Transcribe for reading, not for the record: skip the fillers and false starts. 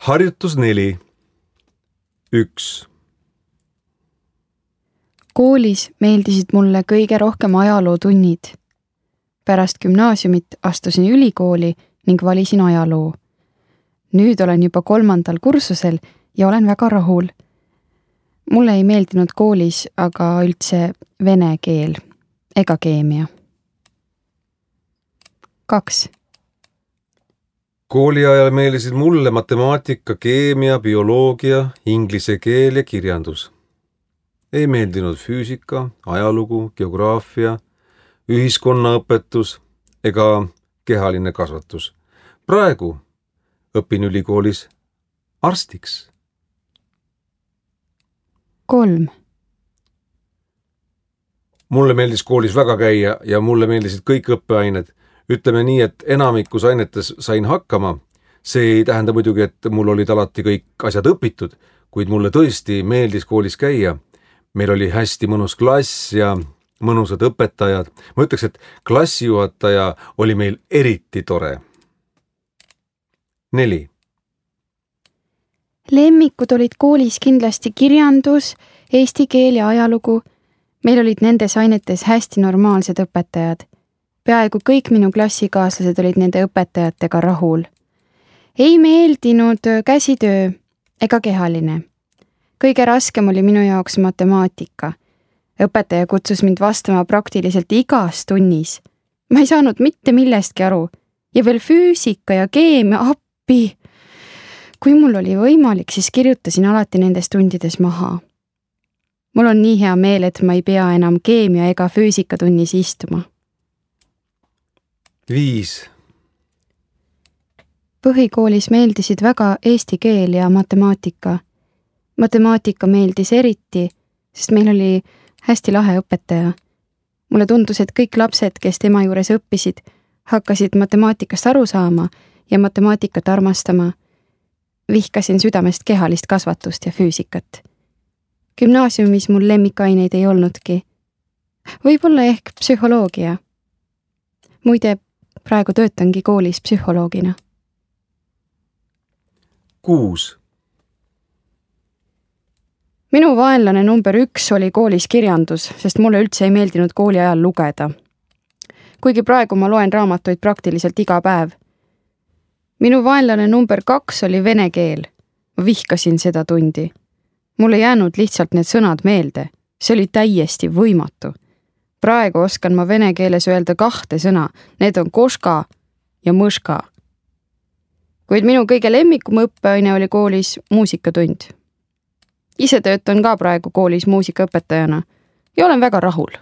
Harjutus 4. 1. Koolis meeldisid mulle kõige rohkem ajalootunnid. Pärast gümnaasiumit astusin ülikooli ning valisin ajaloo. Nüüd olen juba 3. kursusel ja olen väga rahul. Mulle ei meeldinud koolis aga üldse vene keel ega keemia. 2. Kooli ajal meeldisid mulle matemaatika, keemia, bioloogia, inglise keel ja kirjandus. Ei meeldinud füüsika, ajalugu, geograafia, ühiskonnaõpetus ega kehaline kasvatus. Praegu õpin ülikoolis arstiks. 3. Mulle meeldis koolis väga käia ja mulle meeldisid kõik õppeained. Ütleme nii, et enamikus ainetes sain hakkama. See ei tähenda muidugi, et mul olid alati kõik asjad õpitud, kuid mulle tõesti meeldis koolis käia. Meil oli hästi mõnus klass ja mõnusad õpetajad. Ma ütleks, et klassijuhataja oli meil eriti tore. 4. Lemmikud olid koolis kindlasti kirjandus, eesti keel ja ajalugu. Meil olid nendes ainetes hästi normaalsed õpetajad. Peaaegu kõik minu klassikaaslased olid nende õpetajatega rahul. Ei meeldinud käsitöö ega kehaline. Kõige raskem oli minu jaoks matemaatika. Õpetaja kutsus mind vastama praktiliselt igas tunnis. Ma ei saanud mitte millestki aru. Ja veel füüsika ja keemia appi. Kui mul oli võimalik, siis kirjutasin alati nendes tundides maha. Mul on nii hea meel, et ma ei pea enam keemia ega füüsika tunnis istuma. 5. Põhikoolis meeldisid väga eesti keel ja matemaatika. Matemaatika meeldis eriti, sest meil oli hästi lahe õpetaja. Mulle tundus, et kõik lapsed, kes tema juures õppisid, hakkasid matemaatikast aru saama ja matemaatikat armastama. Vihkasin südamest kehalist kasvatust ja füüsikat. Gümnaasiumis mul lemmikaineid ei olnudki. Võib-olla ehk psühholoogia. Muide, praegu töötangi koolis psühholoogina. 6. Minu vaenlane number 1 oli koolis kirjandus, sest mulle üldse ei meeldinud kooli ajal lugeda. Kuigi praegu ma loen raamatuid praktiliselt iga päev. Minu vaenlane number 2 oli vene keel. Ma vihkasin seda tundi. Mulle jäänud lihtsalt need sõnad meelde. See oli täiesti võimatu. Praegu oskan ma vene keeles öelda 2 sõna. Need on koška ja mõška. Kuid minu kõige lemmikum õppeaine oli koolis muusikatund. Ise töötan ka praegu koolis muusikaõpetajana ja olen väga rahul.